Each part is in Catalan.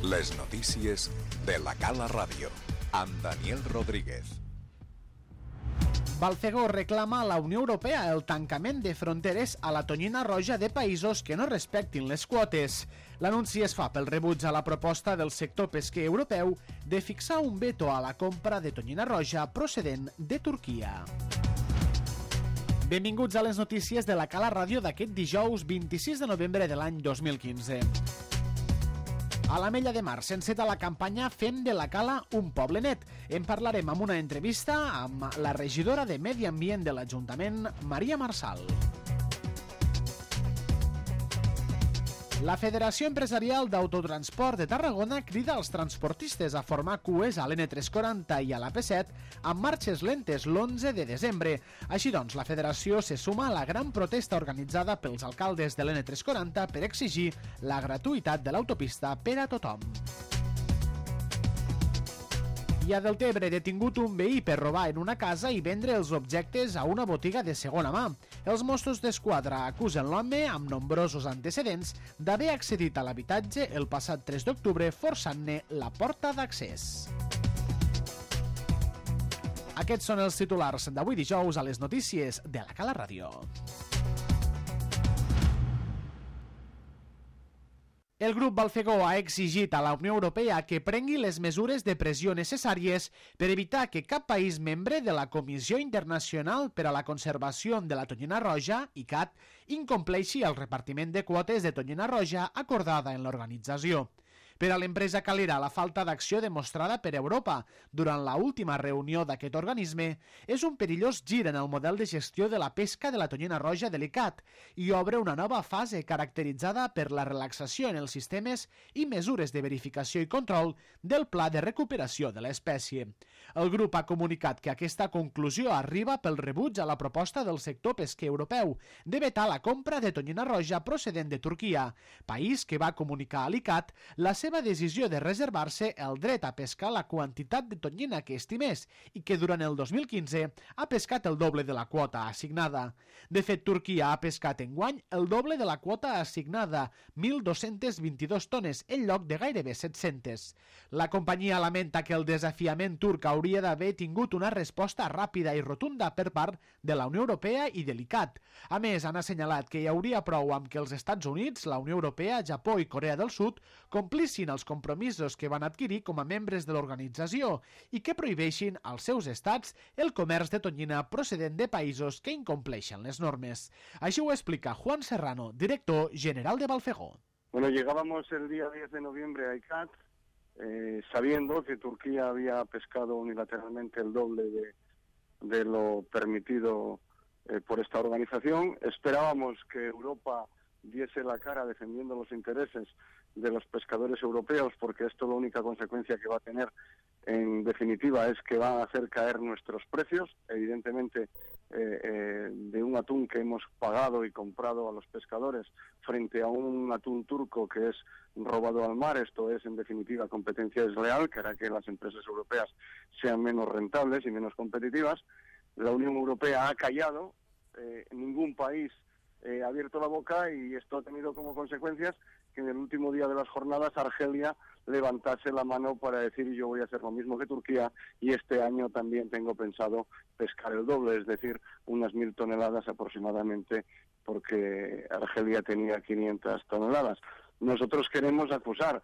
Les notícies de la Cala Ràdio, amb Daniel Rodríguez. Balfegó reclama a la Unió Europea el tancament de fronteres a la tonyina roja de països que no respectin les quotes. L'anunci es fa pel rebuig a la proposta del sector pesquer europeu de fixar un veto a la compra de tonyina roja procedent de Turquia. Benvinguts a les notícies de la Cala Ràdio d'aquest dijous 26 de novembre de l'any 2015. A l'Ametlla de Mar s'enceta la campanya Fem de la Cala un poble net. En parlarem amb una entrevista amb la regidora de Medi Ambient de l'Ajuntament, Maria Marsal. La Federació Empresarial d'Autotransport de Tarragona crida als transportistes a formar cues a l'N340 i a l'AP7 amb marxes lentes l'11 de desembre. Així doncs, la federació se suma a la gran protesta organitzada pels alcaldes de l'N340 per exigir la gratuïtat de l'autopista per a tothom. I a Deltebre, detingut un veí per robar en una casa i vendre els objectes a una botiga de segona mà. Els Mossos d'Esquadra acusen l'home, amb nombrosos antecedents, d'haver accedit a l'habitatge el passat 3 d'octubre forçant-ne la porta d'accés. Aquests són els titulars d'avui dijous a les notícies de la Cala Ràdio. El grup Balfegó ha exigit a la Unió Europea que prengui les mesures de pressió necessàries per evitar que cap país membre de la Comissió Internacional per a la Conservació de la Tonyina Roja, ICCAT, incompleixi el repartiment de quotes de tonyina roja acordada en l'organització. Per a l'empresa calera, la falta d'acció demostrada per Europa durant la última reunió d'aquest organisme és un perillós gir en el model de gestió de la pesca de la tonyina roja de l'ICCAT i obre una nova fase caracteritzada per la relaxació en els sistemes i mesures de verificació i control del pla de recuperació de l'espècie. El grup ha comunicat que aquesta conclusió arriba pel rebuig a la proposta del sector pesquer europeu de vetar la compra de tonyina roja procedent de Turquia, país que va comunicar a l'ICCAT la seva decisió de reservar-se el dret a pescar la quantitat de tonyina que estimés i que durant el 2015 ha pescat el doble de la quota assignada. De fet, Turquia ha pescat enguany el doble de la quota assignada, 1.222 tones en lloc de gairebé 700. La companyia lamenta que el desafiament turc hauria d'haver tingut una resposta ràpida i rotunda per part de la Unió Europea i de l'ICCAT. A més, han assenyalat que hi hauria prou amb que els Estats Units, la Unió Europea, Japó i Corea del Sud complissin els compromisos que van adquirir com a membres de l'organització i que prohibeixin als seus estats el comerç de tonyina procedent de països que incompleixen les normes. Així ho explica Juan Serrano, director general de Balfegó. Bueno, llegábamos el día 10 de noviembre a ICCAT, sabiendo que Turquía había pescado unilateralmente el doble de lo permitido por esta organización. Esperábamos que Europa diese la cara defendiendo los intereses de los pescadores europeos, porque esto la única consecuencia que va a tener en definitiva es que van a hacer caer nuestros precios, evidentemente de un atún que hemos pagado y comprado a los pescadores frente a un atún turco que es robado al mar. Esto es en definitiva competencia desleal que hará que las empresas europeas sean menos rentables y menos competitivas. La Unión Europea ha callado, ningún país ha abierto la boca y esto ha tenido como consecuencias que en el último día de las jornadas Argelia levantase la mano para decir yo voy a hacer lo mismo que Turquía y este año también tengo pensado pescar el doble, es decir, unas 1.000 toneladas aproximadamente, porque Argelia tenía 500 toneladas. Nosotros queremos acusar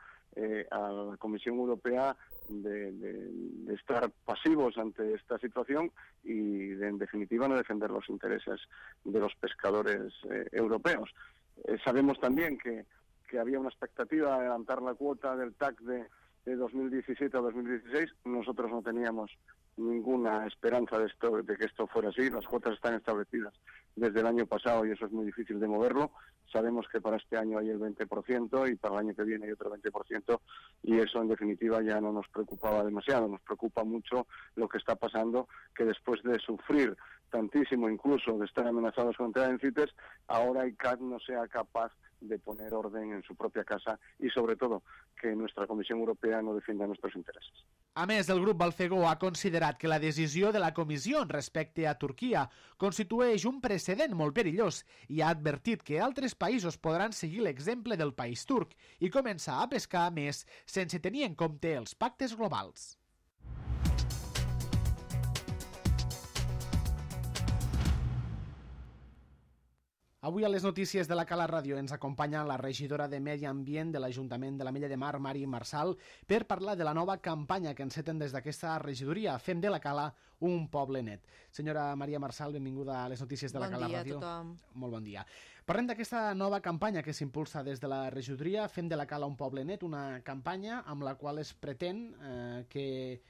a la Comisión Europea de estar pasivos ante esta situación y en definitiva no defender los intereses de los pescadores europeos. Sabemos también que había una expectativa de adelantar la cuota del TAC de 2017 a 2016. Nosotros no teníamos ninguna esperanza de que esto fuera así. Las cuotas están establecidas desde el año pasado y eso es muy difícil de moverlo. Sabemos que para este año hay el 20% y para el año que viene hay otro 20% y eso en definitiva ya no nos preocupaba demasiado. Nos preocupa mucho lo que está pasando, que después de sufrir tantísimo, incluso de estar amenazados con entrar en CITES, ahora ICCAT no sea capaz de poner orden en su propia casa y sobre todo que nuestra Comisión Europea no defienda nuestros intereses. A més, el grup Balfegó ha considerat que la decisió de la comissió respecte a Turquia constitueix un precedent molt perillós i ha advertit que altres països podran seguir l'exemple del país turc i començar a pescar més sense tenir en compte els pactes globals. Avui a les notícies de la Cala Ràdio ens acompanya la regidora de Medi Ambient de l'Ajuntament de l'Ametlla de Mar, Mari Marçal, per parlar de la nova campanya que enceten des d'aquesta regidoria, Fem de la Cala un poble net. Senyora Maria Marçal, benvinguda a les notícies de la Cala Ràdio. Bon dia a tothom. Molt bon dia. Parlem d'aquesta nova campanya que s'impulsa des de la regidoria, Fem de la Cala un poble net, una campanya amb la qual es pretén que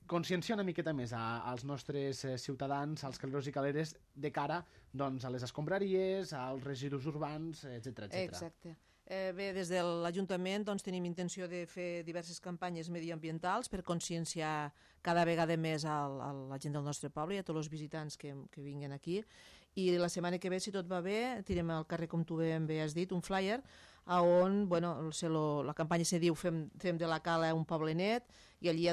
conscienciar una miqueta més als nostres ciutadans, als caleros i caleres, de cara doncs, a les escombraries, als residus urbans, etc. Exacte. Bé, des de l'Ajuntament doncs, tenim intenció de fer diverses campanyes mediambientals per conscienciar cada vegada més a la gent del nostre poble i a tots els visitants que vinguen aquí. I la setmana que ve, si tot va bé, tirem al carrer, com tu bé has dit, un flyer on la campanya se diu Fem de la Cala un poble net, i allí hi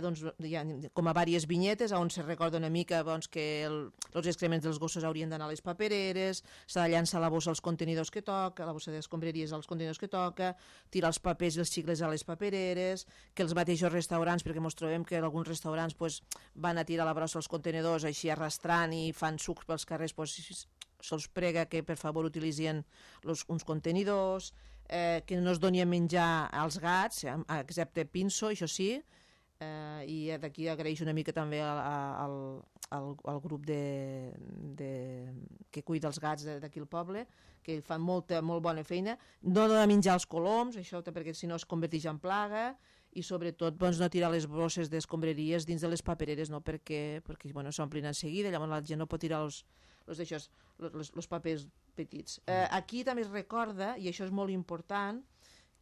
ha com a diverses vinyetes on se recorda una mica que els excrements dels gossos haurien d'anar a les papereres, s'ha de llançar la bossa als contenidors que toca, la bossa d'escombraries als contenidors que toca, tirar els papers i els xicles a les papereres, que els mateixos restaurants, perquè ens trobem que alguns restaurants van a tirar la brossa als contenidors així arrastrant i fan sucs pels carrers, se'ls prega que per favor utilitzin uns contenidors, que no es doni a menjar als gats, excepte pinso, això sí, i d'aquí agraeixo una mica també al grup que cuida els gats d'aquí al poble, que fan molt bona feina. No donar a menjar als coloms, això perquè si no es converteix en plaga, i sobretot no tirar les bosses d'escombraries dins de les papereres, no? perquè s'omplin en seguida, llavors la gent no pot tirar els papers petits. Aquí també es recorda, i això és molt important,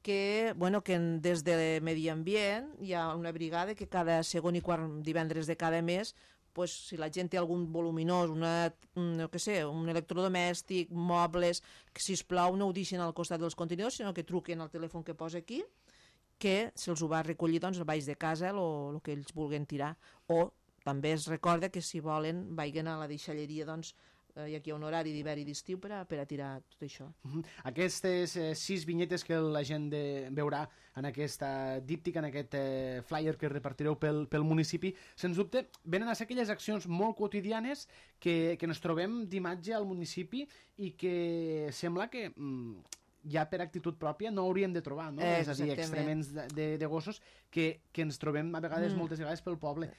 que des de Medi Ambient hi ha una brigada que cada segon i quart divendres de cada mes, si la gent té algun voluminós, un electrodomèstic, mobles, que sisplau no ho deixin al costat dels contenidors, sinó que truquen al telèfon que posa aquí, que se'ls ho va recollir a baix de casa el que ells vulguin tirar. O també es recorda que si volen vagin a la deixalleria, hi ha aquí un horari d'hivern i d'estiu per a tirar tot això. Aquestes 6 vinyetes que la gent veurà en aquesta díptica, en aquest flyer que repartireu pel municipi, sens dubte venen a ser aquelles accions molt quotidianes que ens trobem d'imatge al municipi i que sembla que ja per actitud pròpia no hauríem de trobar, no? És a dir, excrements de gossos que ens trobem a vegades, moltes vegades pel poble.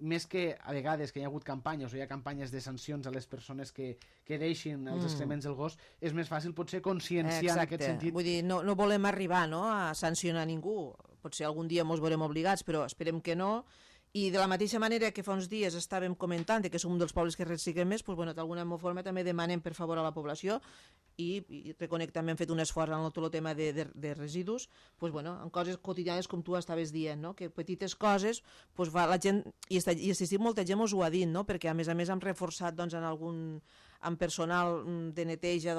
Més que a vegades que hi ha hagut campanyes o hi ha campanyes de sancions a les persones que deixin els excrements del gos, és més fàcil potser conscienciar en aquest sentit. Vull dir, no volem arribar a sancionar ningú, potser algun dia ens veurem obligats, però esperem que no. I de la mateixa manera que fa uns dies estàvem comentant que som un dels pobles que reciclem més, d'alguna forma també demanem per favor a la població, i reconec també hem fet un esforç en tot el tema de residus, en coses quotidianes com tu estaves dient, no? Que petites coses, la gent, i molta gent ens ho ha dit, no? Perquè a més hem reforçat amb personal de neteja,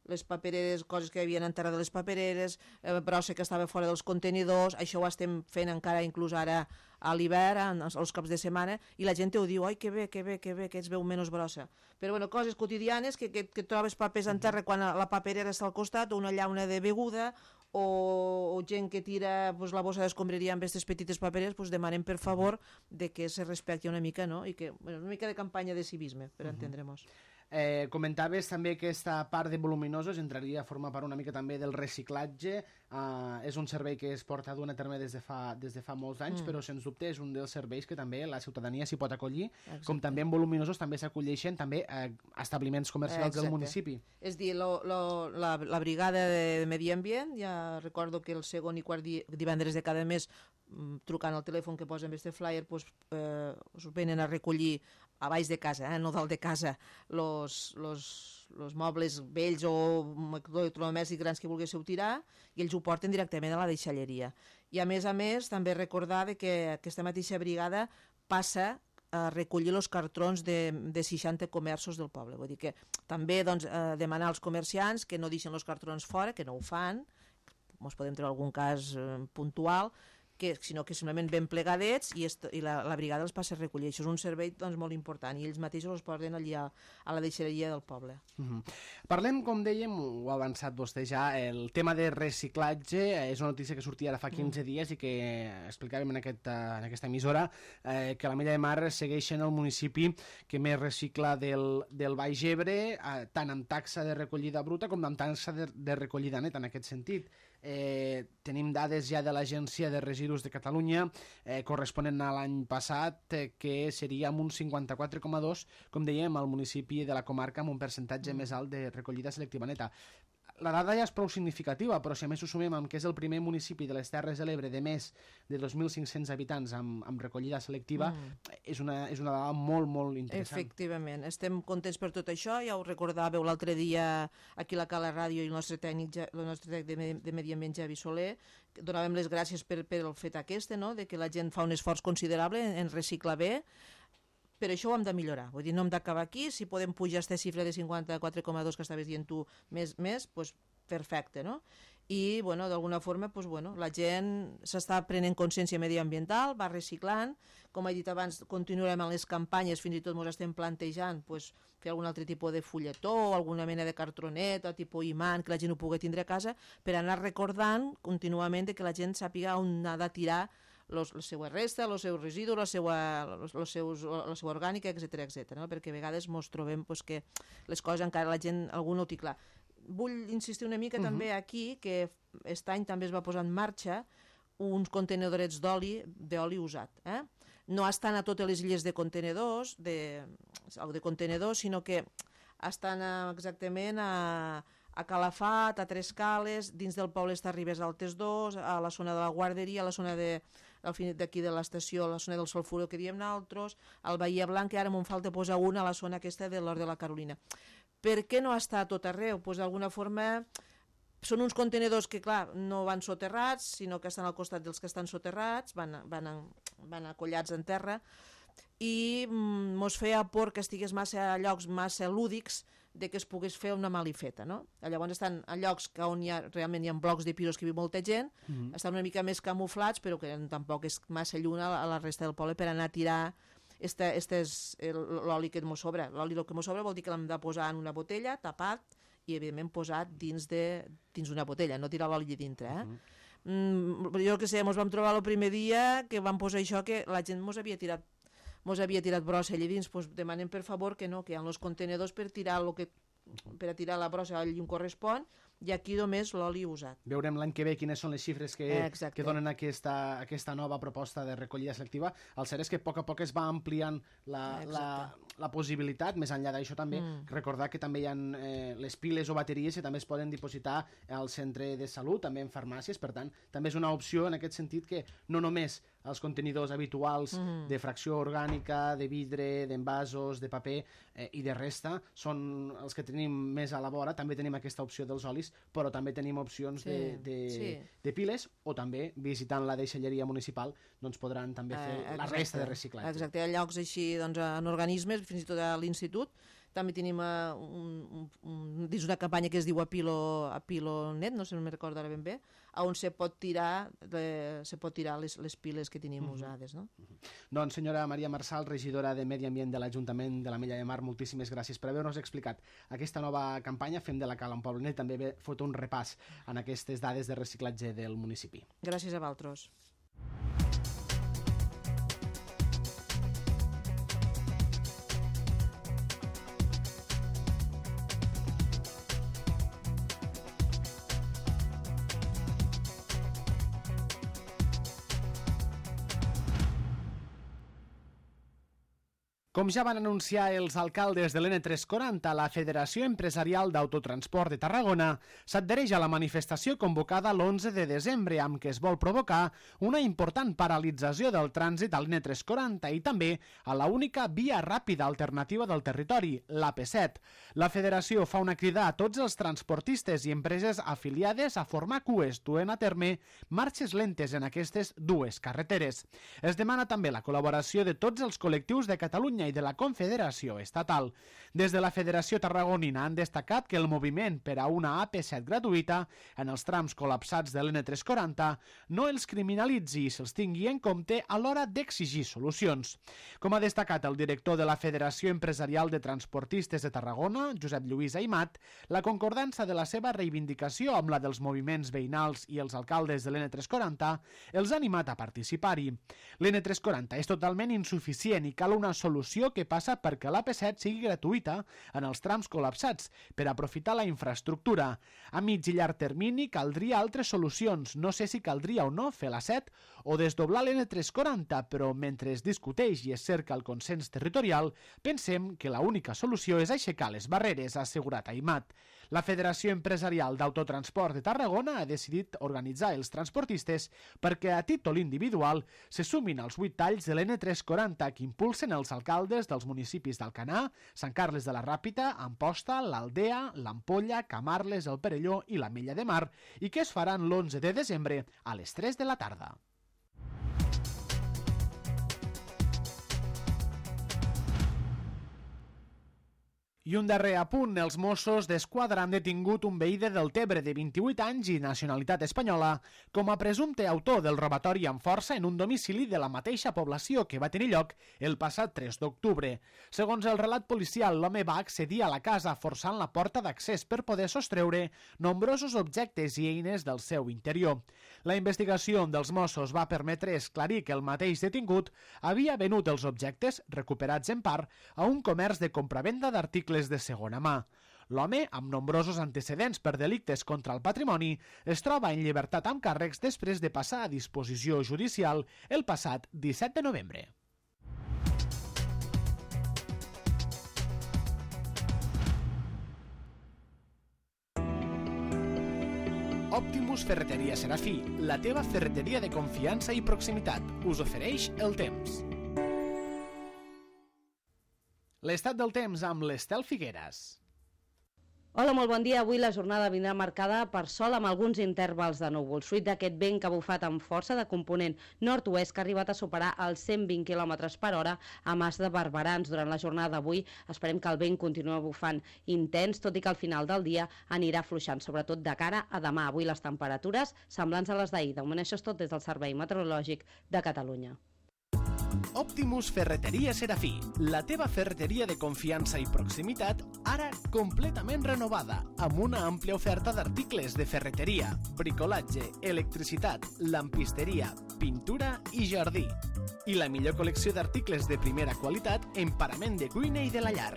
les papereres, coses que havien enterrat de les papereres, brossa que estava fora dels contenidors, això ho estem fent encara inclús ara a l'hivern, als caps de setmana, i la gent ho diu, ai, que bé, que ets veu menys brossa. Però coses quotidianes, que trobes papers en terra quan la paperera està al costat, o una llauna de beguda, o gent que tira la bossa d'escombraria amb aquestes petites papereres, demanem per favor de que se respecti una mica, no? I que una mica de campanya de civisme, per entendre-nos. Comentaves també que aquesta part de voluminosos entraria a formar part una mica també del reciclatge. És un servei que es porta duent a terme des de fa molts anys, però sens dubte és un dels serveis que també la ciutadania s'hi pot acollir. Exacte. Com també en voluminosos també s'acolleixen també establiments comercials del municipi. És dir, la brigada de Medi Ambient, ja recordo que el segon i quart divendres de cada mes, trucant al telèfon que posa en este flyer, us venen a recollir a baix de casa, no dalt de casa, els mobles vells o electrodomèstics grans que volguéssiu tirar, i ells ho porten directament a la deixalleria. I a més també recordar que aquesta mateixa brigada passa a recollir els cartrons de 60 comerços del poble. Vull dir que també demanar als comerciants que no deixin els cartrons fora, que no ho fan, ens podem treure algun cas puntual, sinó que simplement ben plegadets i la brigada els passa a recollir. Això és un servei doncs, molt important i ells mateixos els porten allà a la deixalleria del poble. Parlem, com dèiem, ho ha avançat vostè ja, el tema de reciclatge és una notícia que sortia ara fa 15 dies i que explicàvem en aquesta emissora, que l'Ametlla de Mar segueix sent el municipi que més recicla del Baix Ebre, tant amb taxa de recollida bruta com amb taxa de recollida neta, en aquest sentit. Tenim dades ja de l'Agència de Residus de Catalunya corresponent a l'any passat, que seria amb un 54,2, com dèiem, al municipi de la comarca amb un percentatge més alt de recollida selectiva neta. La dada ja és prou significativa, però si a més ho sumem amb que és el primer municipi de les Terres de l'Ebre de més de 2.500 habitants amb recollida selectiva, és una dada molt, molt interessant. Efectivament, estem contents per tot això, ja ho recordàveu l'altre dia aquí a la Cala Ràdio i el nostre tècnic de Medi Ambient, Javi Soler, donàvem les gràcies per el fet aquest, no? De que la gent fa un esforç considerable en reciclar bé. Però això ho hem de millorar, vull dir, no hem d'acabar aquí, si podem pujar aquesta xifra de 54,2 que estaves dient tu més, doncs perfecte, no? I, bueno, d'alguna forma, doncs, bueno, la gent s'està prenent consciència mediambiental, va reciclant, com he dit abans, continuarem amb les campanyes, fins i tot ens estem plantejant doncs, fer algun altre tipus de fulletó, alguna mena de cartroneta, tipus imant, que la gent ho pugui tindre a casa, per anar recordant contínuament que la gent sàpiga on ha de tirar la seva resta, els seus residus, la seva orgànica, etc. No? Perquè a vegades ens trobem que les coses encara la gent, algú no ho té clar. Vull insistir una mica també aquí que aquest any també es va posar en marxa uns contenedorets d'oli usat. No estan a totes les illes de contenedors, sinó que estan exactament a Calafat, a Tres Cales, dins del poble està a Ribes Altes 2, a la zona de la guarderia, a la zona d'aquí de l'estació, a la zona del Sulfuro que diem nosaltres, al Bahia Blanca, i ara m'en falta posar una a la zona aquesta de l'Hort de la Carolina. Per què no està a tot arreu? Doncs d'alguna forma són uns contenidors que, clar, no van soterrats, sinó que estan al costat dels que estan soterrats, van acollats en terra, i mos feia por que estigués massa a llocs massa lúdics de que es pogués fer una malifeta, no? Llavors estan a llocs on realment hi ha blocs de pisos que viu molta gent, estan una mica més camuflats, però que tampoc és massa lluny a la resta del poble per anar a tirar l'oli que ens sobra. L'oli que ens sobra vol dir que l'hem de posar en una botella, tapat, i evidentment posat dins d'una botella, no tirar l'oli dintre, Jo que sé, ens vam trobar el primer dia que vam posar això, que la gent ens havia tirat brossa allà dins, doncs demanem per favor que no, que hi ha els contenedors per tirar la brossa allà on correspon, i aquí només l'oli usat. Veurem l'any que ve quines són les xifres que donen aquesta nova proposta de recollida selectiva. El cert és que a poc es va ampliant la possibilitat, més enllà d'això també, recordar que també hi ha les piles o bateries que també es poden dipositar al centre de salut, també en farmàcies, per tant, també és una opció en aquest sentit que no només els contenidors habituals de fracció orgànica, de vidre, d'envasos, de paper i de resta són els que tenim més a la vora. També tenim aquesta opció dels olis, però també tenim opcions de piles, o també visitant la deixalleria municipal doncs podran també fer la resta de reciclatge. Exacte, hi ha llocs així en organismes, fins i tot a l'institut. També tenim dins una campanya que es diu Apilonet, no sé, no me'n recordo ara ben bé, on se pot tirar les piles que tenim usades. No? Doncs senyora Maria Marçal, regidora de Medi Ambient de l'Ajuntament de l'Ametlla de Mar, moltíssimes gràcies per haver-nos explicat aquesta nova campanya Fem de la Cala un poble net, també haver fet un repàs en aquestes dades de reciclatge del municipi. Gràcies a vosaltres. Com ja van anunciar els alcaldes de l'N340, la Federació Empresarial d'Autotransport de Tarragona s'adhereix a la manifestació convocada l'11 de desembre amb què es vol provocar una important paralització del trànsit a l'N340 i també a la única via ràpida alternativa del territori, l'AP7. La Federació fa una crida a tots els transportistes i empreses afiliades a formar cues duent a terme marxes lentes en aquestes dues carreteres. Es demana també la col·laboració de tots els col·lectius de Catalunya i de la Confederació Estatal. Des de la Federació Tarragonina han destacat que el moviment per a una AP7 gratuïta en els trams col·lapsats de l'N340 no els criminalitzi i se'ls tingui en compte a l'hora d'exigir solucions. Com ha destacat el director de la Federació Empresarial de Transportistes de Tarragona, Josep Lluís Aimat, la concordança de la seva reivindicació amb la dels moviments veïnals i els alcaldes de l'N340 els ha animat a participar-hi. L'N340 és totalment insuficient i cal una solució que passa perquè l'AP7 sigui gratuïta en els trams col·lapsats per aprofitar la infraestructura. A mig i llarg termini caldria altres solucions. No sé si caldria o no fer la 7 o desdoblar l'N340, però mentre es discuteix i es cerca el consens territorial, pensem que l'única solució és aixecar les barreres, ha assegurat Aimat. La Federació Empresarial d'Autotransport de Tarragona ha decidit organitzar els transportistes perquè a títol individual se sumin als 8 talls de l'N340 que impulsen els alcaldes dels municipis d'Alcanar, Sant Carles de la Ràpita, Amposta, l'Aldea, l'Ampolla, Camarles, el Perelló i l'Ametlla de Mar i que es faran l'11 de desembre a les 3 de la tarda. I un darrer apunt, els Mossos d'Esquadra han detingut un veí de Deltebre de 28 anys i nacionalitat espanyola com a presumpte autor del robatori amb força en un domicili de la mateixa població que va tenir lloc el passat 3 d'octubre. Segons el relat policial, l'home va accedir a la casa forçant la porta d'accés per poder sostreure nombrosos objectes i eines del seu interior. La investigació dels Mossos va permetre esclarir que el mateix detingut havia venut els objectes, recuperats en part, a un comerç de compravenda d'articles de segona mà. L'home, amb nombrosos antecedents per delictes contra el patrimoni, es troba en llibertat amb càrrecs després de passar a disposició judicial el passat 17 de novembre. Optimus Ferreteria Serafí, la teva ferreteria de confiança i proximitat, us ofereix el temps. L'estat del temps amb l'Estel Figueres. Hola, molt bon dia. Avui la jornada vindrà marcada per sol amb alguns intervals de núvols. Fruit d'aquest vent que ha bufat amb força de component nord-oest que ha arribat a superar els 120 km per hora a Mas de Barberans. Durant la jornada d'avui esperem que el vent continua bufant intens, tot i que al final del dia anirà afluixant, sobretot de cara a demà. Avui les temperatures semblants a les d'ahir. De moment això és tot des del Servei Meteorològic de Catalunya. Optimus Ferreteria Serafí, la teva ferreteria de confiança i proximitat, ara completament renovada, amb una àmplia oferta d'articles de ferreteria, bricolatge, electricitat, lampisteria, pintura i jardí. I la millor col·lecció d'articles de primera qualitat en parament de cuina i de la llar.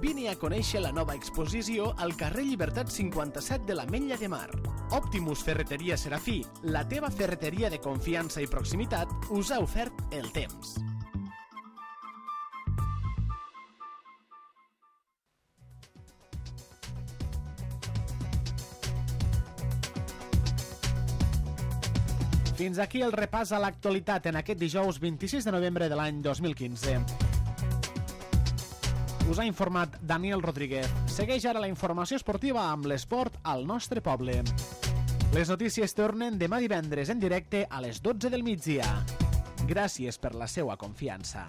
Vine a conèixer la nova exposició al carrer Llibertat 57 de l'Ametlla de Mar. Optimus Ferreteria Serafí, la teva ferreteria de confiança i proximitat, us ha ofert el temps. Fins aquí el repàs a l'actualitat en aquest dijous 26 de novembre de l'any 2015. Us ha informat Daniel Rodríguez. Segueix ara la informació esportiva amb l'esport al nostre poble. Les notícies tornen demà divendres en directe a les 12 del migdia. Gràcies per la seua confiança.